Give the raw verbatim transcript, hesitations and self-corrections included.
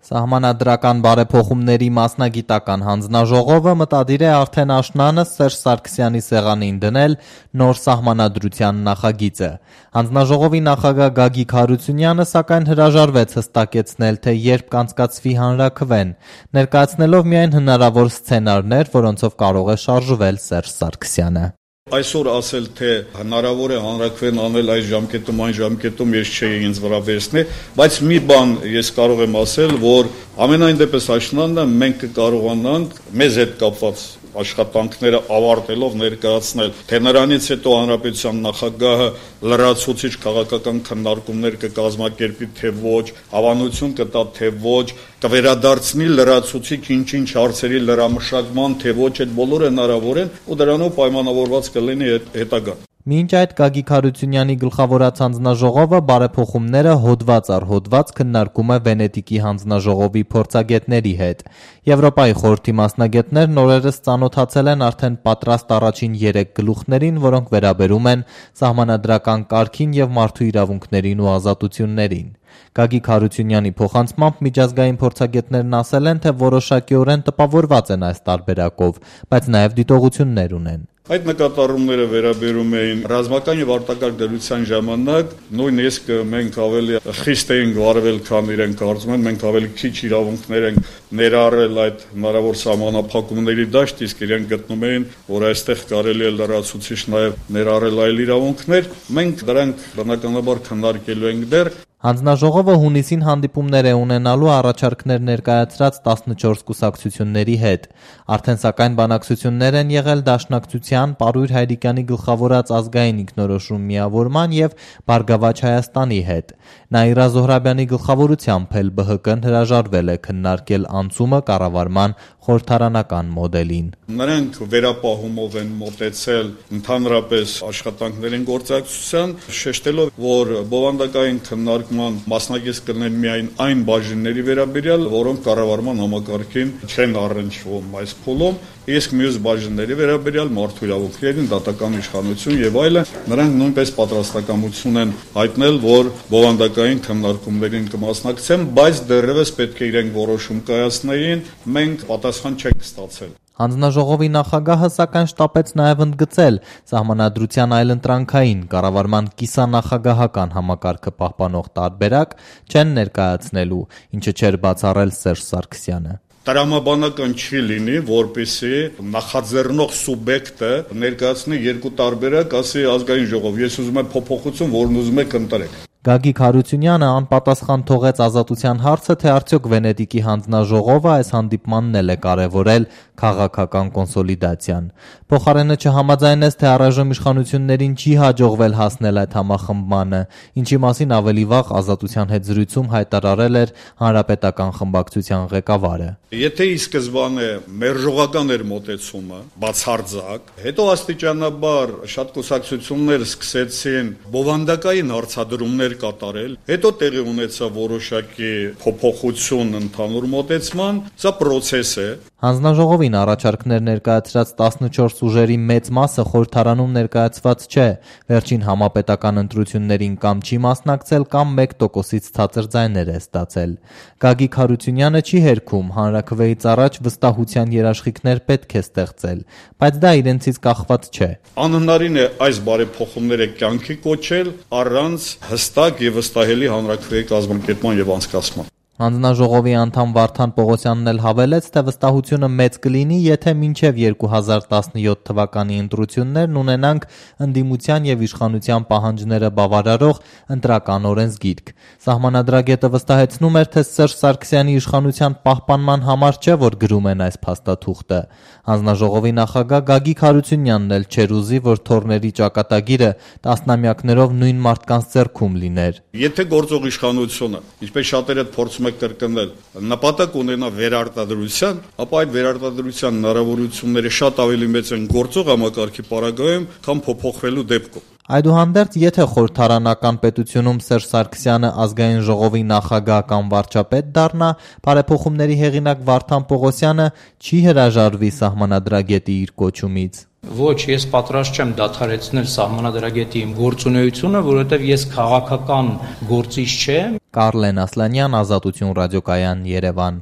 Սահմանադրական բարեփոխումների մասնագիտական հանձնաժողովը մտադիր է արդեն աշնանը Սերժ Սարգսյանի սեղանին դնել նոր սահմանադրության նախագիծը։ Հանձնաժողովի նախագահ Գագիկ Հարությունյանը սակայն հրաժարվեց հստակեցնել, թե երբ կանցկացվի հանրաքվեն, ներկայացնելով միայն հնարավոր սցենարներ, որոնցով կարող է շարժվել Սերժ Սարգսյանը։ Այսօր ասել, թե հնարավոր է հանրաքվեն անել այս ժամկետում, այն ժամկետում, ես չէի ինձ վրա վերցնի, բայց մի բան ես կարող եմ ասել, որ ամենայն դեպս աշնանը մենք կկարողանանք մեզ հետ կապված աշխատանքները ավարտելով ներկայացնել, թե նրանից հետո հանրապետության նախագահը լրացուցիչ քաղաքական քննարկումներ կկազմակերպի, թե ոչ, հավանություն կտա, թե ոչ, կվերադարձնի լրացուցիչ ինչ-ինչ հարցերի լրամշակման, թե ոչ, այդ բոլորը հնարավոր են ու դրանով պայմանավորված կլինի հետագան։ Մինչ այդ Գագիկ Հարությունյանի գլխավորած հանձնաժողովը բարեփոխումները հոդված առ հոդված քննարկում է Վենետիկի հանձնաժողովի փորձագետների հետ։ Եվրոպայի խորհրդի մասնագետներն օրերս ծանոթացել են արդեն պատրաստ առաջին երեք գլուխներին, որոնք վերաբերում են սահմանադրական կարգին եւ մարդու իրավունքներին ու ազատություններին։ Գագիկ Հարությունյանի փոխանցմամբ միջազգային փորձագետներն ասել են, թե որոշակիորեն տպավորված են այս տարբերակով, բայց նաեւ դիտողություններ ունեն։ Այդ նկատառումները վերաբերում էին ռազմական եւ արտակարգ դրության ժամանակ, նույնիսկ մենք ավելի խիստ էինք վարվել, քան իրենք կարծում են, մենք ավելի քիչ իրավունքներ ենք ներառել այդ հնարավոր սահմանափակումների դաշտ, իսկ իրենք գտնում էին, որ այստեղ կարելի է լրացուցիչ նաեւ ներառել այլ իրավունքներ, մենք դրանք բնականաբար քննարկելու ենք դեռ։ Հանձնաժողովը հունիսին հանդիպումներ է ունենալու առաջարկներ ներկայացրած տասնչորս կուսակցությունների հետ։ Արդեն սակայն բանակցություններ են եղել Դաշնակցության, Պարույր Հայրիկյանի գլխավորած ազգային ինքնորոշում միավորման եւ Բարգավաճ Հայաստանի հետ։ Նաիրա Զոհրաբյանի գլխավորությամբ էլ Բ Հ Կ-ն հրաժարվել է քննարկել անցումը կառավարման խորհրդարանական մոդելին։ Նրանք վերապահումով են մոտեցել ընդհանրապես աշխատանքներին գործակցության, շեշտելով, որ բովանդակային քննարկման մասնակից կլինեն միայն այն բաժինների վերաբերյալ, որոնք կառավարման համակարգին չեն առնչվում այս փուլում, իսկ մյուս բաժինների վերաբերյալ մարդու իրավունքներին, դատական իշխանություն եւ այլն, նրանք նույնպես պատրաստակամություն են հայտնել, որ բովանդակային քննարկումներին կմասնակցեն, բայց դեռևս պետք է իրենք որոշում կայացնեին, մենք պատասխան չենք ստացել։ Հանձնաժողովի նախագահը սակայն շտապեց նաև ընդգծել սահմանադրության այլընտրանքային կառավարման կիսանախագահական համակարգը պահպանող տարբերակ չեն ներկայացնելու, ինչը չէր բացառել Սերժ Սարգսյանը։ Տրամաբանական չի լինի, որպեսզի նախաձեռնող սուբյեկտը ներկայացնի երկու տարբերակ, ասի ազգային ժողով, ես ուզում եմ փոփոխություն, որն ուզում եք ընտրեք։ Գագիկ Հարությունյանը անպատասխան թողեց ազատության հարցը, թե արդյոք Վենետիկի հանձնաժողովը այս հանդիպմանն էլ է կարևորել քաղաքական կոնսոլիդացիան։ Փոխարենը չհամաձայնեց, թե առայժմ իշխանություններին չի հաջողվել հասնել այդ համախմբմանը, ինչի մասին ավելի վաղ ազատության հետ զրույցում հայտարարել էր հանրապետական խմբակցության ղեկավարը։ Եթե ի սկզբանե մերժողական էր մոտեցումը, բացարձակ, հետո աստիճանաբար շատ կուսակցություններ սկսեցին բովանդակային հարցադրումներ կատարել, հետո տեղի ունեցավ որոշակի փոփոխություն ընդհանուր մոտեցման, սա process է։ Հանձնաժողովին առաջարկներ ներկայացրած տասնչորս ուժերի մեծ մասը խորհրդարանում ներկայացված չէ, վերջին համապետական ընտրություններին կամ չի մասնակցել, կամ մեկ տոկոսից ցածր ձայներ է ստացել։ Գագիկ Հարությունյանը չի հերքում, հանրաքվեից առաջ վստահության երաշխիքներ պետք է ստեղծել, բայց դա իրենցից կախված չէ։ Անհնարին է այս բարեփոխումները կյանքի կոչել առանց հստակ եւ վստահելի հանրաքվեի կազմակերպման եւ անցկացման։ Հանձնաժողովի անդամ Վարդան Պողոսյանն էլ հավելեց, թե վստահությունը մեծ կլինի, եթե մինչև երկու հազար տասնյոթ թվականի ընտրություններն ունենանք ընդդիմության եւ իշխանության պահանջները բավարարող ընտրական օրենսգիրք։ Սահմանադրագետը վստահեցնում էր, թե Սերժ Սարգսյանի իշխանության պահպանման համար չէ, որ գրում են այս փաստաթուղթը։ Հանձնաժողովի նախագահ Գագիկ Հարությունյանն էլ չէր ուզի, որ թորների ճակատագիրը տասնամյակներով նույն մարդկանց ձեռքում լիներ։ Եթե գործող իշխանությունը, ինչպես շատերը փորձում կրկնել, նպատակ ունենա վերարտադրության, ապա այդ վերարտադրության հնարավորությունները շատ ավելի մեծ են գործող համակարգի պարագայում, քան փոփոխվելու դեպքում։ Այդուհանդերձ, եթե խորհրդարանական պետությունում Սերժ Սարգսյանը ազգային ժողովի նախագահ կամ վարչապետ դառնա, բարեփոխումների հեղինակ Վարդան Պողոսյանը չի հրաժարվի սահմանադրագետի իր կոչումից։ Ոչ, ես պատրաստ չեմ դադարեցնել սահմանադրագետի իմ գործունեությունը, որովհետև ես քաղաքական գործիչ չեմ։ Կարլեն Ասլանյան, Ազատություն ռադիոկայան, Երևան։